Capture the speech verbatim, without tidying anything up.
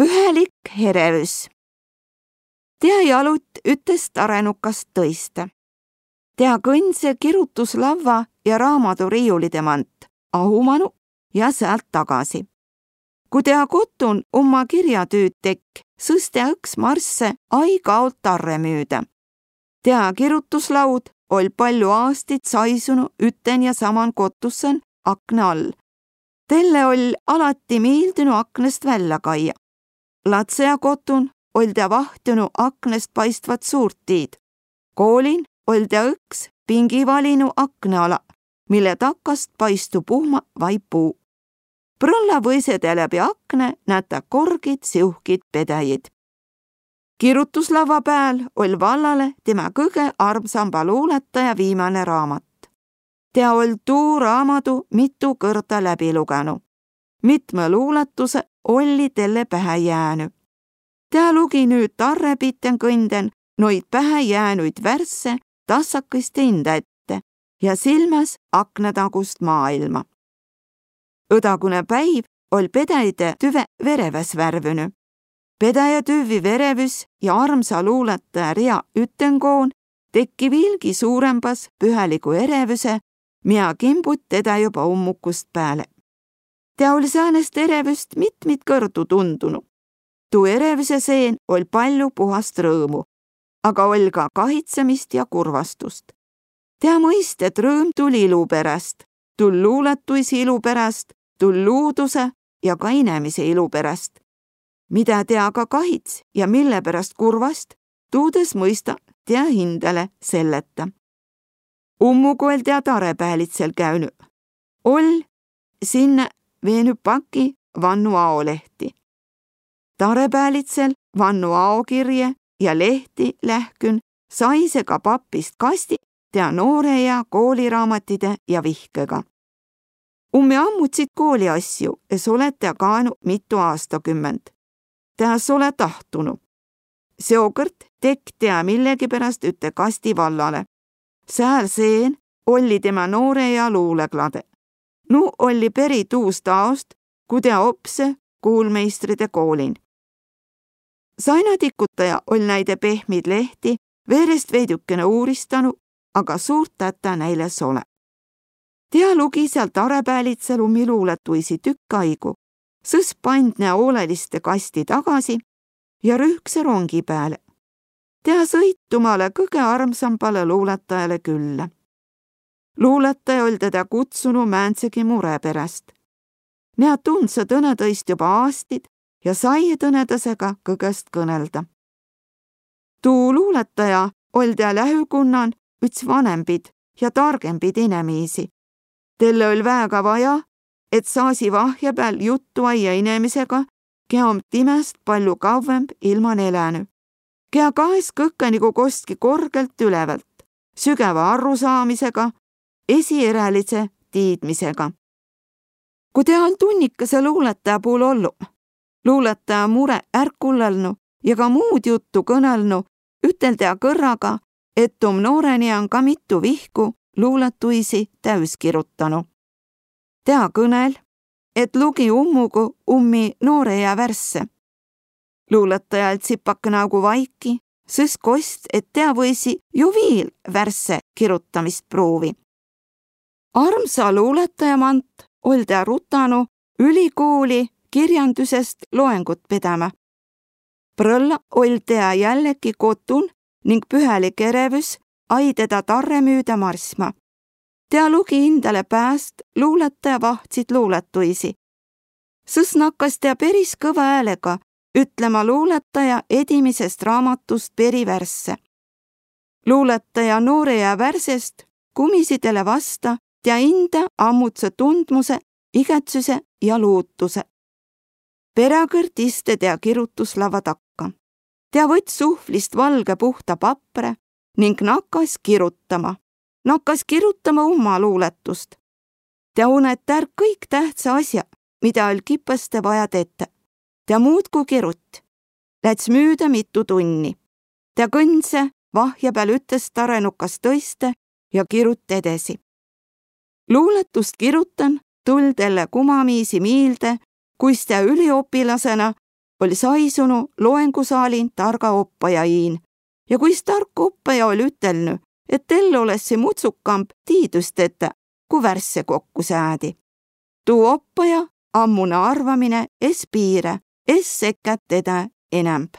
Pühälik erevüs. Tea jalut üttest arenukast tõiste. Tea kõndse kirutuslavva ja raamaduriiulide mant, ahumanu ja sealt tagasi. Ku tea kotun umma kirjatüüd tekk, sõs tea õks marsse aig-aolt tarre müüdä. Tea kirutuslaud oll' pallu aastit saisunu ütten ja saman kotusen akne all. Telle oll' alati miildünu aknest vällä kaia. Latsea kotun oll' tea vahtunu aknest paistvat suurt tiid. Koolin oll' tea õks pingi valinu akne ala, mille takast paistu puhma vai puu. Prõlla võise tea läbi akne nätä korgit siuhkit pedäjid. Kirutuslavva pääl oll' vallale timä kõge armsamba luulataja viimäne raamat. Tea oll' tuu raamadu mitu kõrda läbi lugenu. Mitmõ luulatuse olli telle pähe jäänü. Tea lugi nüüt tarre pitten kõnden noid pähe jäänüid värsse tassakõist inda ette ja silmäs aknetagust maailma. Õdagune päiv oll' pedäjide tüve vereväs värvünü. Pedäjä tüvvi verevüs ja armsa luulataja ria üttengoon tekki viilgi suurembas pühäligu erevüse, mia kimbut tedä joba ummukust pääle. Tea oll' säänest erevüst mitmit kõrdu tundunu. Tuu erevüse seen oll' pallu puhast rõõmu, aga oll' ka kahitsemist ja kurvastust. Tea mõist, et rõõm tull' ilu peräst, tull' luulatuisi ilu peräst, tull' luuduse ja ka inemise ilu peräst. Midä tea ka kahits ja mille peräst kurvast, tuud es mõista tea hindäle selleta. Ummugu oll' tea tarepäälitsel käünü. Oll' sinnä veenü paki vannu aolehti. Tarepäälitsel vannu aokirje ja lehti lähkün saise ka pappist kasti tea nooreea kooliraamatide ja vihkega. Ummi ammutsit kooliasju es ole tea kaenu mitu aastakümmend. Tea es ole tahtunu. Seokõrd tekk' tea millegiperäst ütte kasti vallale. Sääl seen olli timä nooreea luuleklade. Nuu olli peri tuust aost, ku tea opse kuulmeistride koolin. Sainadikutaja oll' näide pehmit lehti veerest veidükene uuristanu, aga suurt tätä näil es ole. Tea lugi sääl tarepäälitsel ummi luulatuisi tükk aigu, sõs pandne oleliste kasti tagasi ja rühkse rongi pääle. Tea sõitu male kõge armsambale luulatajale küllä. Luulataja oll' tedä kutsunu määndsegi mure peräst. Nea tundsõ tõnetõist joba aastid ja saije tõnetõsega kõgõst kõnelda. Tuu luulataja oll' tea lähükunnan üts vanembid ja targembid inemiisi. Telle oll' väega vaja, et saasi vahjepääl juttu aia inemisega, kea om timäst pallu kavvemb ilman elänü. Kea kaes kõkke nigu kostki korgelt ülevält, sügäva arrusaamisega, esierälidse tiidmisega. Ku tea oll' tunnikese luulataja puul ollu, luulataja mure ärkullelnu ja ka muud juttu kõnelnu, ütel tea kõrraga, et om noorenian ka mitu vihku luulatuisi täüs kirutanu. Tea kõnel, et lugi ummugu ummi nooreea värsse. Luulataja oll' tsipakene augu vaiki, sõs kost, et tea võisi ju viil värsse kirutamist pruuvi. Armsa luulataja mant oll' tea rutanu ülikooli kirjandüsest loengut pedämä. Prõlla oll' tea jälleki kotun ning pühälik erevüs ai tedä tarre müüdä marsma. Tea lugi hindäle pääst luulataja vahtsit luulatuisi. Sõs nakkas tea peris kõva äälega ütlema luulataja edimisest raamatust peri värsse. Luulataja nooreea värsest kumisi tele vasta tea hindä ammudsõ tundmuse, igätsüse ja luutuse. Peräkõrd iste tea kirutuslavva takka. Tea võtt suhvlist valge puhta papre ning nakkas kirutama. Nakkas kirutama umma luulatust. Tea unet är kõik tähtsä asja, mida oll' kipõste vaja tetä. Tea muudku kirutt. Läts müüdä mitu tunni. Tea kõndse vahjepääl üttest arenukast tõiste ja kirutt edesi. Luulatust kirutan tull' telle kumamiisi miilde, kuis tea üliopilasena oll saisunu loengusaalin targa oppaja iin. Ja kuis tark oppaja oll ütelnü, et tel olessi mutsukamb tiidüs tetä ku värsse kokkusäädi. Tuu oppaja ammuna arvamine es piirä, es sekkä tedä enämb.